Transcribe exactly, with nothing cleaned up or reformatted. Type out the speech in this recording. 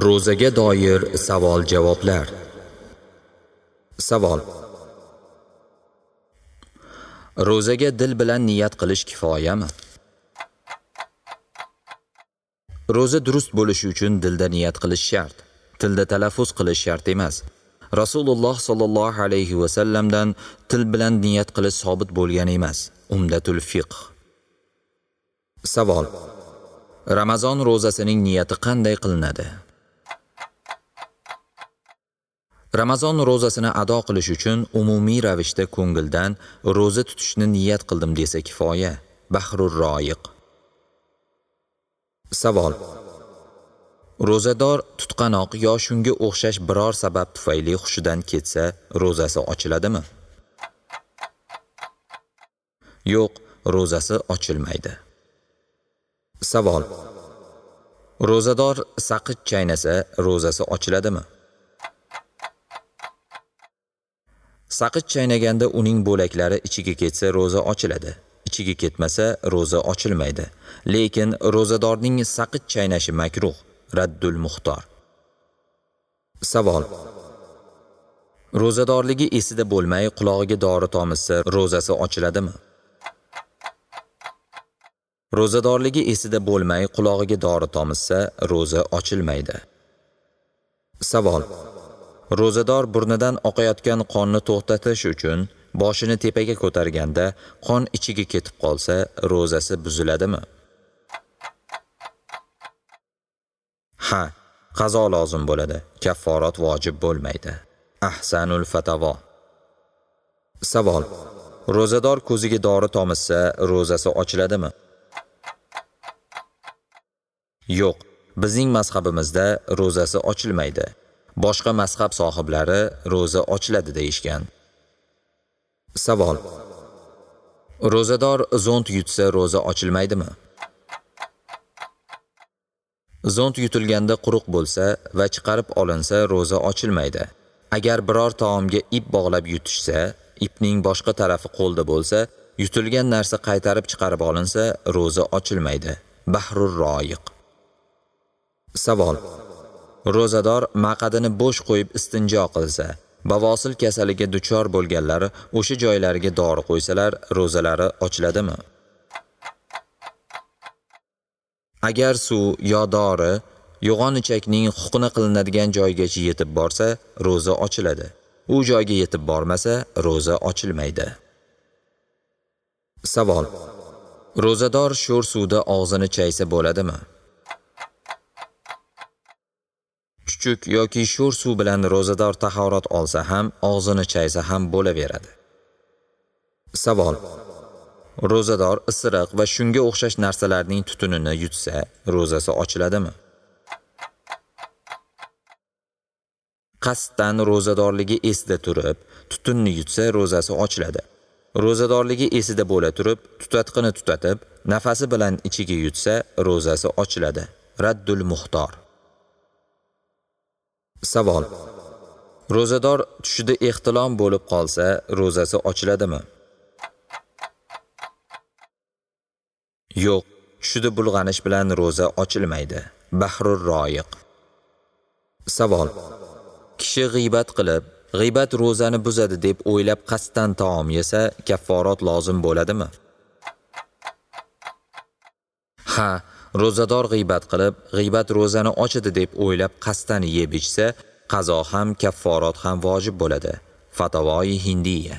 Ro'zaga doir savol-javoblar. Savol: Ro'zaga dil bilan niyat qilish kifoyami? Ro'za durust bo'lishi uchun dilda niyat qilish shart. Tilda talaffuz qilish shart emas. Rasululloh sallallohu alayhi va sallamdan til bilan niyat qilish sobit bo'lgan emas. Umdatul fiqh. Savol: Ramazon ro'zasining niyati qanday qilinadi? Ramazon ro'zasini ado qilish uchun umumiy ravishda ko'ngildan ro'za tutishni niyat qildim desa kifoya. Bahrur Roiq. Savol: Ro'zador tutqanoq yo shunga o'xshash biror sabab tufayli hushidan ketsa, ro'zasi ochiladimi? Yo'q, ro'zasi ochilmaydi. Savol: Ro'zador saqich chaynasa, ro'zasi ochiladimi? Saqich chaynaganda uning bo'laklari ichiga ketsa ro'za ochiladi, ichiga ketmasa ro'za ochilmaydi. Lekin ro'zadorning saqich chaynashi makruh. Raddul Muxtor. Savol: Ro'zadorligi esida bo'lmay qulog'iga dori tomizsa ro'zasi ochiladimi? Ro'zadorligi esida bo'lmay qulog'iga dori tomizsa ro'za ochilmaydi. Savol: Ro'zador burnidan oqayotgan qonni to'xtatish uchun boshini tepaga ko'targanda qon ichiga ketib qolsa ro'zasi buziladimi? Ha, qazo lozim bo'ladi, kafforat vojib bo'lmaydi. Ahsanul Fatavo. Savol: Ro'zador ko'ziga dori tomizsa ro'zasi ochiladimi? Yo'q, bizning mazhabimizda ro'zasi ochilmaydi. Boshqa mazhab sohiblari ro'za ochiladi deyishgan. Savol: Ro'zador zont yutsa ro'za ochilmaydimi? Zont yutilganda quruq bo'lsa va chiqarib olinsa ro'za ochilmaydi. Agar biror taomga ip bog'lab yutishsa, ipning boshqa tarafi qo'lda bo'lsa, yutilgan narsa qaytarib chiqarib olinsa ro'za ochilmaydi. Bahrur Roiq. Savol: Ro'zador maqadini bo'sh qo'yib istinjo qilsa, bavosil kasaliga duchor bo'lganlar o'sha joylariga dori qo'ysalar ro'zalari ochiladimi? Agar suv yo dori yo'g'on ichakning huqna qilinadigan joygacha yetib borsa, ro'za ochiladi. U joyga yetib bormasa, ro'za ochilmaydi. Savol: Ro'zador sho'r suvda og'zini chaysa bo'ladimi? Chuchuk yoki sho'r suv bilan ro'zador tahorat olsa ham, og'zini chaysa ham bo'laveradi. Savol: Ro'zador isiriq va shunga o'xshash narsalarning tutunini yutsa, ro'zasi ochiladimi? Qasddan ro'zadorligi esida turib, tutunni yutsa ro'zasi ochiladi. Ro'zadorligi esida bo'la turib, tutatqini tutatib, nafasi bilan ichiga yutsa ro'zasi ochiladi. Raddul Muxtor. Savol: Ro'zador tushida ehtilom bo'lib qolsa, ro'zasi ochiladimi? Yo'q, tushida bulg'anish bilan ro'za ochilmaydi. Bahrur Roiq. Savol: Kishi g'iybat qilib, g'iybat ro'zani buzadi deb o'ylab qasddan taom yesa, kafforat lozim bo'ladimi? Ha, ro'zador g'iybat qilib, g'iybat ro'zani ochadi deb o'ylab qasddan yeb ichsa, qazo ham, kafforat ham vojib bo'ladi. Fatavoi Hindiya.